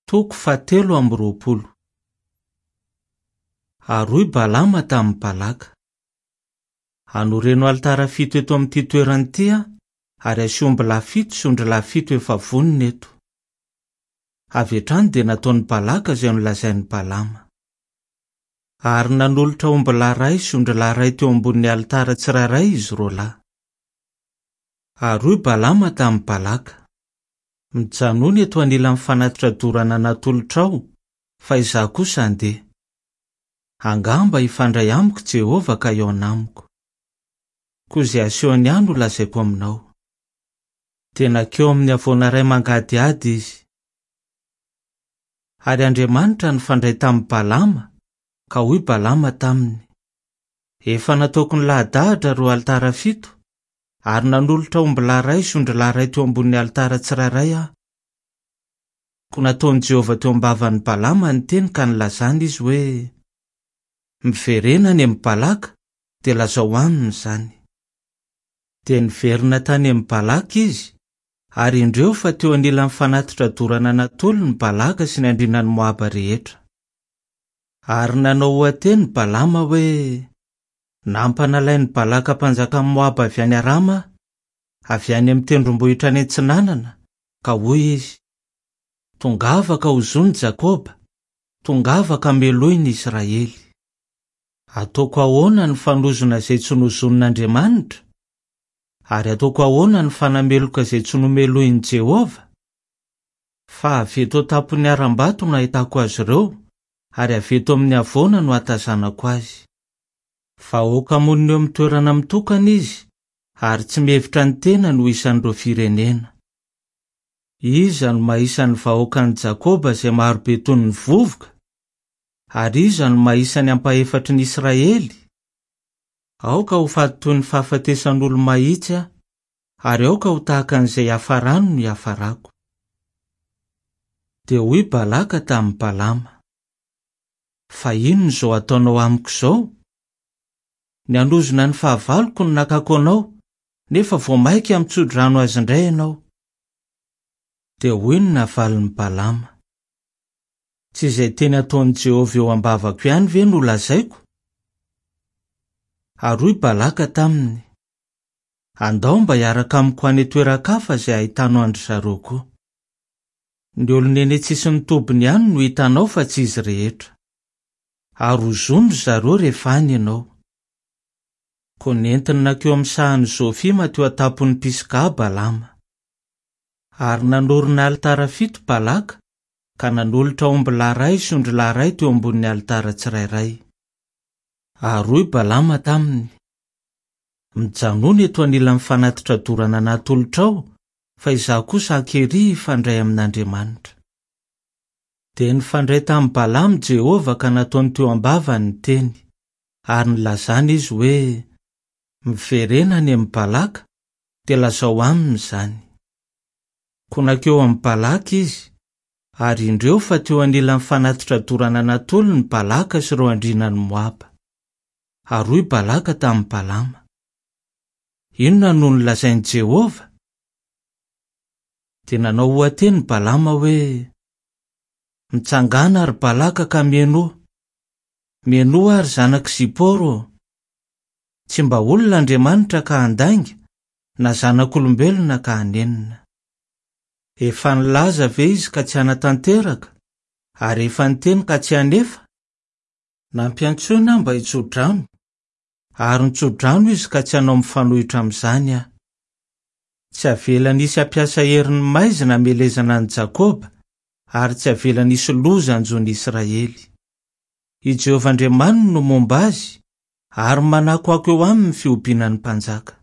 Toko fahatelo amby 20. Ary hoy Balama tamin'i Balaka, Anoreno alitara fito eto amin'ity toerana ity aho, ary asio ombilahy fito sy ondrilahy fito efa vonona eto. Avy hatrany dia nataon'i Balaka izay nolazain'i Balama. Ary nanolotra ombilahy iray sy ondrilahy iray teo ambonin'ny alitara tsirairay izy roalahy. Ary hoy Balama tamin'i Balaka, Mijanòna eto anilan'ny fanatitra dorana natolotrao, fa izaho kosa handeha. Angamba hifandray amiko Jehovah ka hihaona amiko. Koa izay asehony ahy no lazaiko aminao. Dia nankeo amin'ny havoana iray mangadihady izy. Ary Andriamanitra nifandray tamin'i Balama, ka hoy Balama taminy, Efa nataoko nilahadahatra ireo alitara fito, ary nanolotra ombilahy iray sy ondrilahy iray teo ambonin'ny alitara tsirairay aho. Koa nataon'i Jehovah teo am-bavan'i Balama ny teny ka nilazany izy hoe, Miverena any amin'i Balaka, dia lazao aminy izany. Dia niverina tany amin'i Balaka izy, ary indreo fa teo anilan'ny fanatitra dorana natolony Balaka sy ny andrianan'i Moaba rehetra. Ary nanao oha-teny Balama hoe, Nampanalain'i Balaka mpanjakan'i Moaba avy any Arama aho, avy any amin'ny tendrombohitra any atsinanana, ka hoy izy, Tongava ka ozony Jakoba, tongava ka melohy ny Israely. Ataoko ahoana ny fanozona izay tsy nozonin'Andriamanitra? Ary ataoko ahoana ny fanameloka izay tsy nomelohin'i Jehovah? Fa avy eto an-tampon'ny harambato no ahitako azy ireo, ary avy eto amin'ny havoana no ahatazanako azy. Vahoaka monina eo amin'ny toerana mitokana izy, ary tsy mihevitra ny tenany ho isan'ireo firenena. Iza no mahisa ny vahoakan'i Jakoba izay marobe toy ny vovoka? Ary iza no mahisa ny ampahefatry ny Israely? Aoka ho faty toy ny fahafatesan'olo-mahitsy aho, ary aoka ho tahaka an'izay hiafarany no hiafarako. Dia hoy Balaka tamin'i Balama, Fa inona izao ataonao amiko izao? Ny hanozona ny fahavaloko no nakako anao, nefa vao mainka mitso-drano azy indray ianao. Dia hoy ny navalin'i Balama, Tsy izay teny ataon'i Jehovah eo am-bavako ihany ve no lazaiko? Ary hoy Balaka taminy, Andao mba hiaraka amiko any an-toeran-kafa izay hahitanao an-dry zareo koa. Ny olona eny an-tsisin'ny tobiny ihany no hitanao fa tsy izy rehetra. Ary hozony ry zareo rehefa any ianao. Koa nentiny nankeo amin'ny sahan'i Zofima teo an-tampon'i Pisga Balama. Ary nanorina alitara fito Balaka, ka nanolotra ombilahy iray sy ondrilahy iray teo ambonin'ny alitara tsirairay. Ary hoy Balama taminy, Mijanòna eto anilan'ny fanatitra dorana natolotrao, fa izaho kosa ankery hifandray amin'Andriamanitra. Dia nifandray tamin'i Balama Jehovah ka nataony teo am-bavany ny teny, ary nilazany izy hoe, Miverena any amin'i Balaka, dia lazao aminy izany. Koa nankeo amin'i Balaka izy, ary indreo fa teo anilan'ny fanatitra dorana natolony Balaka sy ireo andrianan'i Moaba. Ary hoy Balaka tamin'i Balama, Inona no nolazain'i Jehovah? Dia nanao oha-teny Balama hoe, Mitsangàna, ry Balaka, ka mihainoa! Mihainoa, ry zanak'i Zipôro ô! Tsy mba olona Andriamanitra ka handainga, na zanak'olombelona ka hanenina. Efa nilaza ve izy ka tsy hanatanteraka, ary efa niteny ka tsy hanefa? Nampiantsoina aho mba hitso-drano, ary nitso-drano izy ka tsy hanao mifanohitra amin'izany aho. Tsy avelany hisy hampiasa herin'ny maizina hamelezana an'i Jakoba, ary tsy avelany hisy loza hanjo ny Israely. I Jehovah Andriamaniny no momba azy, ary manakoako eo aminy ny fihobiana ny mpanjaka.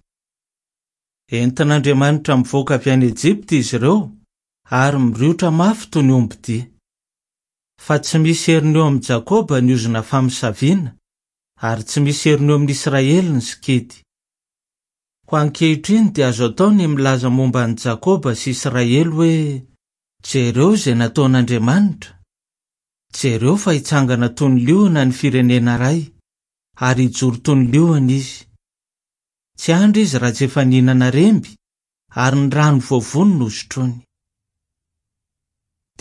Entin'Andriamanitra mivoaka avy any Ejipta izy ireo, ary miriotra mafy toy ny ombidia. Fa tsy misy heriny eo amin'i Jakoba ny ozona famosaviana, ary tsy misy heriny eo amin'i Israely ny sikidy. Koa ankehitriny dia azo atao ny milaza momba an'i Jakoba sy Israely hoe, Jereo izay nataon'Andriamanitra! Jereo fa hitsangana toy ny liona ny firenena iray, ary hijoro toy ny liona izy. Tsy handry izy raha tsy efa nihinana remby, ary ny rano voavono no hosotroiny.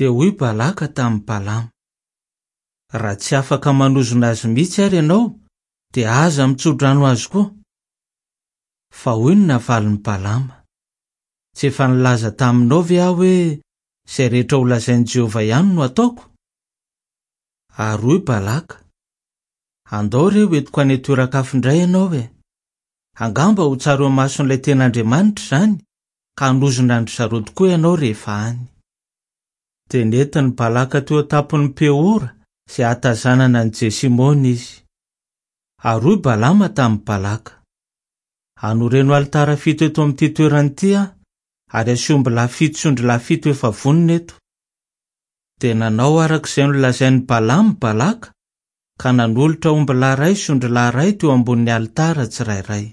Dia hoy Balaka tamin'i Balama, Raha tsy afaka manozona azy mihitsy àry ianao, dia aza mitso-drano azy koa. Fa hoy ny navalin'i Balama, Tsy efa nilaza taminao ve aho hoe, 'Izay rehetra holazain'i Jehovah ihany no hataoko'? Ary hoy Balaka, Andao re hoentiko any an-toeran-kafa indray ianao e! Angamba ho tsara eo imason'ilay tena Andriamanitra izany, ka hanozona an-dry zareo tokoa ianao rehefa any. Dia nentin'i Balaka teo an-tampon'i Peora izay hahatazanana an'i Jesimona izy. Ary hoy Balama tamin'i Balaka, Anoreno alitara fito eto amin'ity toerana ity aho, ary asio ombilahy fito sy ondrilahy fito efa vonona eto. Dia nanao araka izay nolazain'i Balama Balaka, ka nanolotra ombilahy iray sy ondrilahy iray teo ambonin'ny alitara tsirairay.